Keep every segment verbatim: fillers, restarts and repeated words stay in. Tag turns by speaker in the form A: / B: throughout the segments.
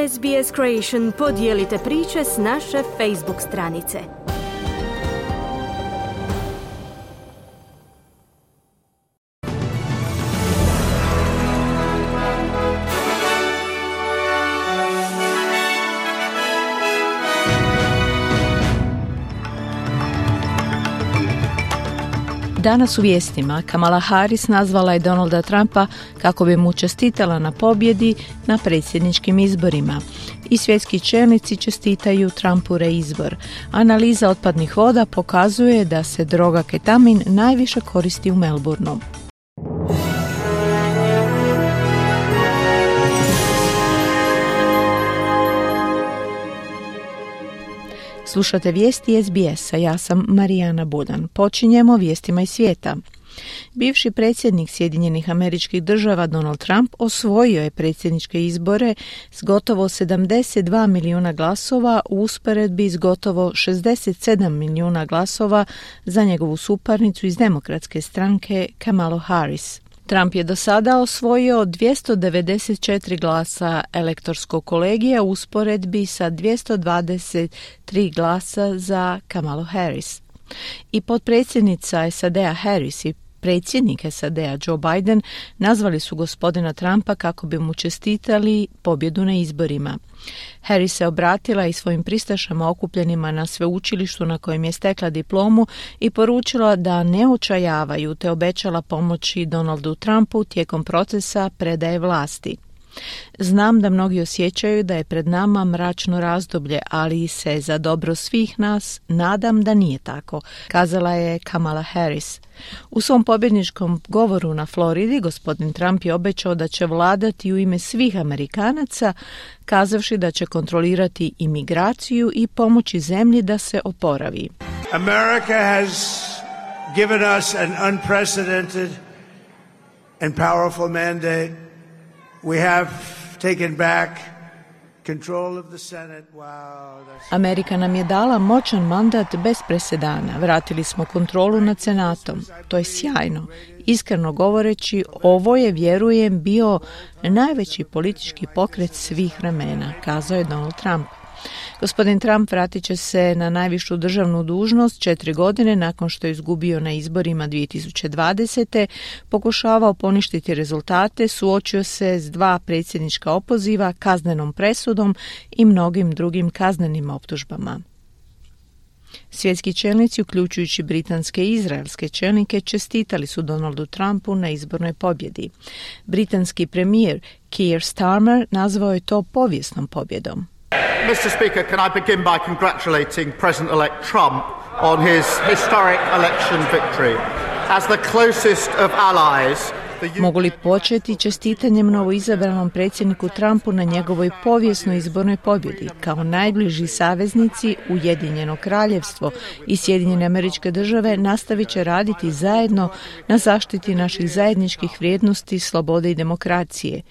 A: S B S Creation podijelite priče s naše Facebook stranice.
B: Danas u vijestima Kamala Harris nazvala je Donalda Trumpa kako bi mu čestitala na pobjedi na predsjedničkim izborima. I svjetski čelnici čestitaju Trumpu reizbor. Analiza otpadnih voda pokazuje da se droga ketamin najviše koristi u Melbourneu. Slušate vijesti S B S-a, ja sam Marijana Budan. Počinjemo vijestima iz svijeta. Bivši predsjednik Sjedinjenih Američkih Država Donald Trump osvojio je predsjedničke izbore s gotovo sedamdeset dva milijuna glasova u usporedbi s gotovo šezdeset sedam milijuna glasova za njegovu suparnicu iz Demokratske stranke Kamalu Harris. Trump je do sada osvojio dvjesto devedeset četiri glasa elektorskog kolegija u usporedbi sa dvjesto dvadeset tri glasa za Kamalu Harris. I potpredsjednica S A D-a Harris i predsjednik S A D-a Joe Biden nazvali su gospodina Trumpa kako bi mu čestitali pobjedu na izborima. Harris se obratila i svojim pristašama okupljenima na sveučilištu na kojem je stekla diplomu i poručila da ne očajavaju, te obećala pomoći Donaldu Trumpu tijekom procesa predaje vlasti. Znam da mnogi osjećaju da je pred nama mračno razdoblje, ali se za dobro svih nas nadam da nije tako, kazala je Kamala Harris. U svom pobjedničkom govoru na Floridi gospodin Trump je obećao da će vladati u ime svih Amerikanaca, kazavši da će kontrolirati imigraciju i pomoći zemlji da se oporavi.
C: America has given us an unprecedented and powerful mandate. We have taken back control of the Senate. Wow, that's...
B: Amerika nam je dala moćan mandat bez presedana. Vratili smo kontrolu nad Senatom. To je sjajno. Iskreno govoreći, ovo je, vjerujem, bio najveći politički pokret svih vremena, kazao je Donald Trump. Gospodin Trump vratit će se na najvišu državnu dužnost četiri godine nakon što je izgubio na izborima dvije tisuće dvadesete. Pokušavao poništiti rezultate, suočio se s dva predsjednička opoziva, kaznenom presudom i mnogim drugim kaznenim optužbama. Svjetski čelnici, uključujući britanske i izraelske čelnike, čestitali su Donaldu Trumpu na izbornoj pobjedi. Britanski premijer Keir Starmer nazvao je to povijesnom pobjedom.
D: Mister Speaker, can I begin by congratulating President-elect Trump on his historic election victory. As the closest of allies,
B: Mogu li početi čestitanjem novoizabranom predsjedniku Trumpu na njegovoj povijesnoj izbornoj pobjedi? Kao najbliži saveznici Ujedinjeno kraljevstvo i Sjedinjene Američke Države nastavit će raditi zajedno na zaštiti naših zajedničkih vrijednosti, slobode i demokracije.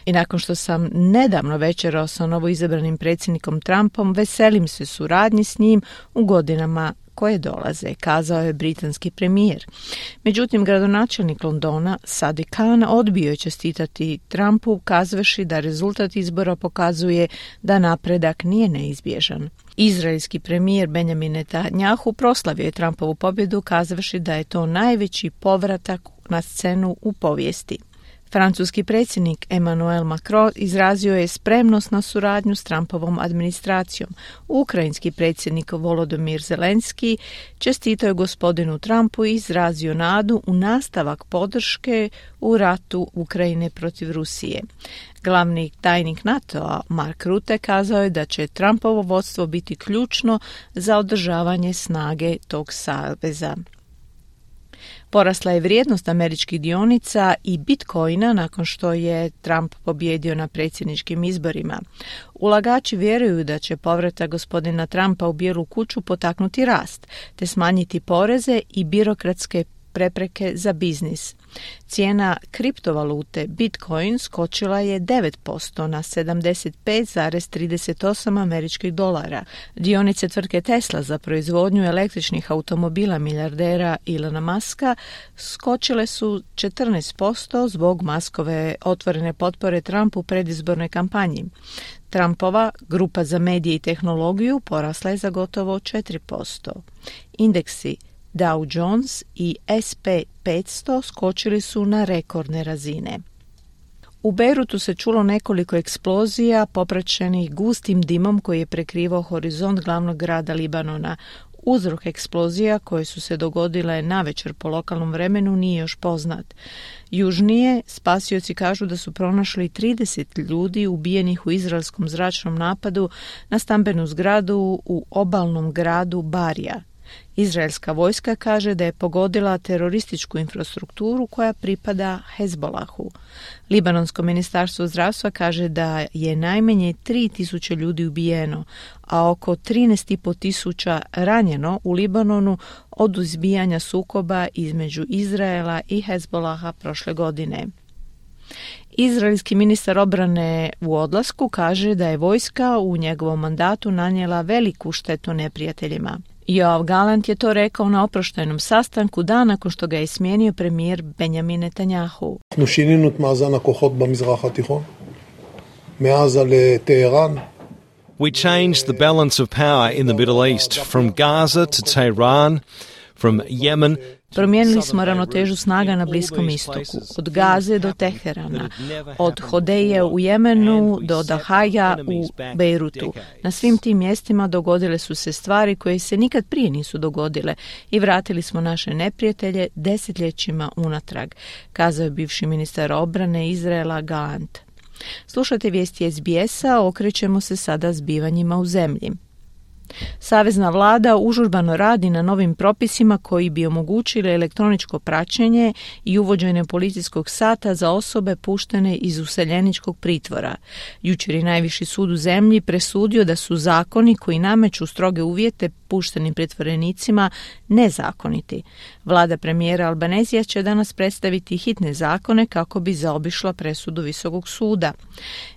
B: I nakon što sam nedavno večerao sa novoizabranim predsjednikom Trumpom, veselim se suradnji s njim u godinama koje dolaze, kazao je britanski premijer. Međutim, gradonačelnik Londona Sadiq Khan odbio je čestitati Trumpu, kazavši da rezultat izbora pokazuje da napredak nije neizbježan. Izraelski premijer Benjamin Netanjahu proslavio je Trumpovu pobjedu, kazavši da je to najveći povratak na scenu u povijesti. Francuski predsjednik Emmanuel Macron izrazio je spremnost na suradnju s Trumpovom administracijom. Ukrajinski predsjednik Volodymyr Zelenski čestitao je gospodinu Trumpu i izrazio nadu u nastavak podrške u ratu Ukrajine protiv Rusije. Glavni tajnik NATO-a Mark Rutte kazao je da će Trumpovo vodstvo biti ključno za održavanje snage tog saveza. Porasla je vrijednost američkih dionica i Bitcoina nakon što je Trump pobjedio na predsjedničkim izborima. Ulagači vjeruju da će povratak gospodina Trumpa u Bijelu kuću potaknuti rast, te smanjiti poreze i birokratske prepreke za biznis. Cijena kriptovalute Bitcoin skočila je devet posto na sedamdeset pet zarez trideset osam američkih dolara. Dionice tvrtke Tesla za proizvodnju električnih automobila milijardera Elona Muska skočile su četrnaest posto zbog Muskove otvorene potpore Trumpu u predizbornoj kampanji. Trumpova grupa za medije i tehnologiju porasla je za gotovo četiri posto. Indeksi Dow Jones i S and P petsto skočili su na rekordne razine. U Bejrutu se čulo nekoliko eksplozija popraćenih gustim dimom koji je prekrivao horizont glavnog grada Libanona. Uzrok eksplozija koje su se dogodile navečer po lokalnom vremenu nije još poznat. Južnije spasioci kažu da su pronašli trideset ljudi ubijenih u izraelskom zračnom napadu na stambenu zgradu u obalnom gradu Barija. Izraelska vojska kaže da je pogodila terorističku infrastrukturu koja pripada Hezbolahu. Libanonsko ministarstvo zdravstva kaže da je najmanje tri tisuće ljudi ubijeno, a oko trinaest i po tisuća ranjeno u Libanonu od izbijanja sukoba između Izraela i Hezbolaha prošle godine. Izraelski ministar obrane u odlasku kaže da je vojska u njegovom mandatu nanijela veliku štetu neprijateljima. Joav Galant je to rekao na oproštajnom sastanku dan nakon što ga je smijenio premijer Benjamin Netanyahu.
E: שינינו את מאזן הכוחות במזרח התיכון. מעזה לטהרן.
F: We changed the balance of power in the Middle East, from Gaza to Tehran, from Yemen.
B: Promijenili smo ravnotežu snaga na Bliskom istoku, od Gaze do Teherana, od Hodeje u Jemenu do Dahaja u Bejrutu. Na svim tim mjestima dogodile su se stvari koje se nikad prije nisu dogodile i vratili smo naše neprijatelje desetljećima unatrag, kazao je bivši ministar obrane Izraela Galant. Slušajte vijesti S B S-a, okrećemo se sada zbivanjima u zemlji. Savezna vlada užurbano radi na novim propisima koji bi omogućili elektroničko praćenje i uvođenje policijskog sata za osobe puštene iz useljeničkog pritvora. Jučer je najviši sud u zemlji presudio da su zakoni koji nameću stroge uvjete puštenim pritvorenicima nezakoniti. Vlada premijera Albanezija će danas predstaviti hitne zakone kako bi zaobišla presudu Visokog suda.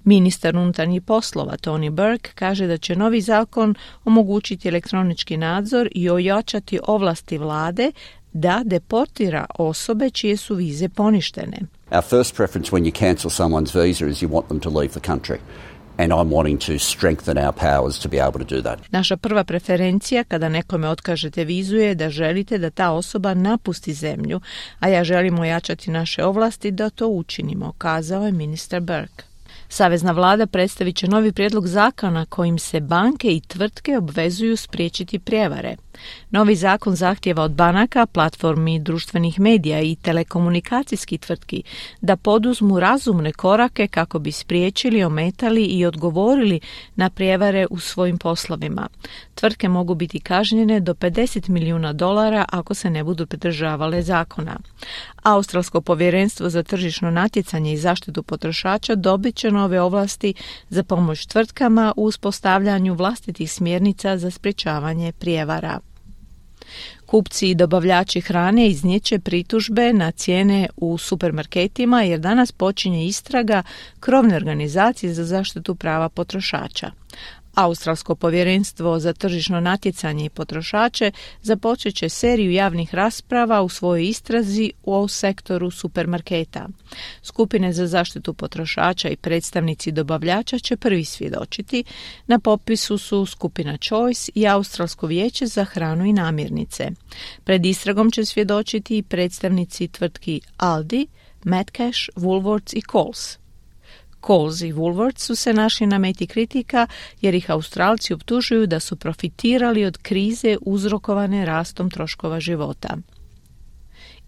B: Ministar unutarnjih poslova Tony Burke kaže da će novi zakon omogućiti elektronički nadzor i ojačati ovlasti vlade da deportira osobe čije su vize poništene.
G: Our first preference when you cancel someone's visa is you want them to leave the country. And I'm wanting to strengthen our powers to be able to do that.
B: Naša prva preferencija kada nekome otkažete vizu je da želite da ta osoba napusti zemlju, a ja želim ojačati naše ovlasti da to učinimo, kazao je ministar Burke. Savezna vlada predstavit će novi prijedlog zakona kojim se banke i tvrtke obvezuju spriječiti prijevare. Novi zakon zahtijeva od banaka, platformi društvenih medija i telekomunikacijskih tvrtki da poduzmu razumne korake kako bi spriječili, ometali i odgovorili na prijevare u svojim poslovima. Tvrtke mogu biti kažnjene do pedeset milijuna dolara ako se ne budu pridržavale zakona. Australsko povjerenstvo za tržišno natjecanje i zaštitu potrošača dobit će nove ovlasti za pomoć tvrtkama u uspostavljanju vlastitih smjernica za sprječavanje prijevara. Kupci i dobavljači hrane iznijet će pritužbe na cijene u supermarketima jer danas počinje istraga krovne organizacije za zaštitu prava potrošača. Australsko povjerenstvo za tržišno natjecanje i potrošače započet će seriju javnih rasprava u svojoj istrazi u sektoru supermarketa. Skupine za zaštitu potrošača i predstavnici dobavljača će prvi svjedočiti. Na popisu su skupina Choice i Australsko vijeće za hranu i namirnice. Pred istragom će svjedočiti i predstavnici tvrtki Aldi, Metcash, Woolworths i Coles. Coles i Woolworths su se našli na meti kritika jer ih Australci optužuju da su profitirali od krize uzrokovane rastom troškova života.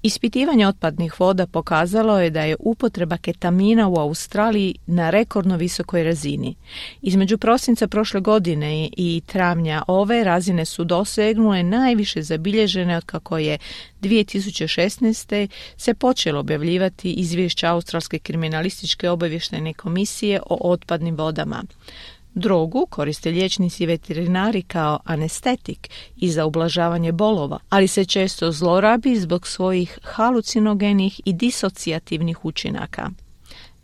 B: Ispitivanje otpadnih voda pokazalo je da je upotreba ketamina u Australiji na rekordno visokoj razini. Između prosinca prošle godine i travnja ove razine su dosegnule najviše zabilježene od kako je dvije tisuće šesnaeste. se počelo objavljivati izvješća Australske kriminalističke obavještajne komisije o otpadnim vodama. Drogu koriste liječnici i veterinari kao anestetik i za ublažavanje bolova, ali se često zlorabi zbog svojih halucinogenih i disocijativnih učinaka.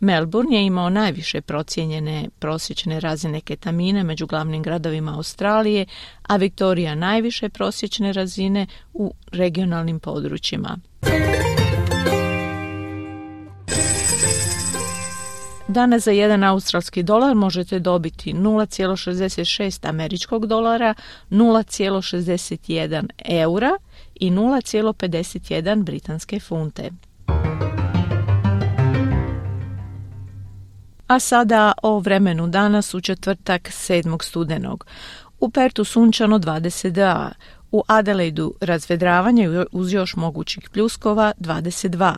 B: Melbourne je imao najviše procijenjene prosječne razine ketamina među glavnim gradovima Australije, a Viktorija najviše prosječne razine u regionalnim područjima. Danas za jedan australski dolar možete dobiti nula zarez šezdeset šest američkog dolara, nula zarez šezdeset jedan eura i nula zarez pedeset jedan britanske funte. A sada o vremenu danas u četvrtak sedmog studenog. U Pertu sunčano dvadeset dva, u Adelaidu razvedravanje uz još mogućih pljuskova dvadeset dva,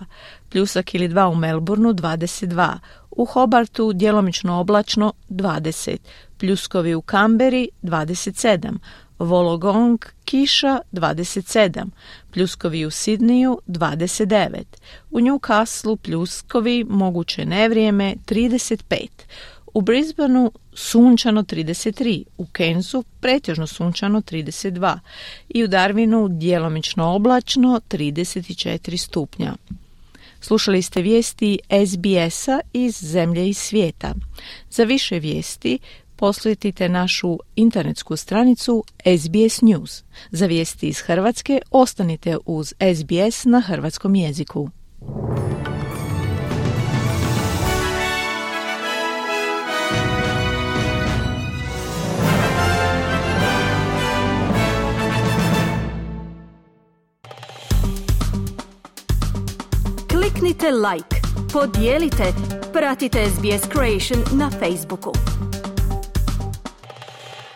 B: pljusak ili dva u Melbourneu dvadeset dva, u Hobartu djelomično oblačno dvadeset, pljuskovi u Kamberi dvadeset sedam, Wollongong kiša dvadeset sedam, pljuskovi u Sidneju dvadeset devet, u Newcastleu pljuskovi, moguće nevrijeme trideset pet, u Brisbaneu sunčano trideset tri, u Cairnsu pretežno sunčano trideset dva i u Darwinu djelomično oblačno trideset četiri stupnja. Slušali ste vijesti S B S-a iz zemlje i svijeta. Za više vijesti posjetite našu internetsku stranicu S B S News. Za vijesti iz Hrvatske ostanite uz S B S na hrvatskom jeziku.
A: Kliknite like, podijelite, pratite S B S Creation na Facebooku.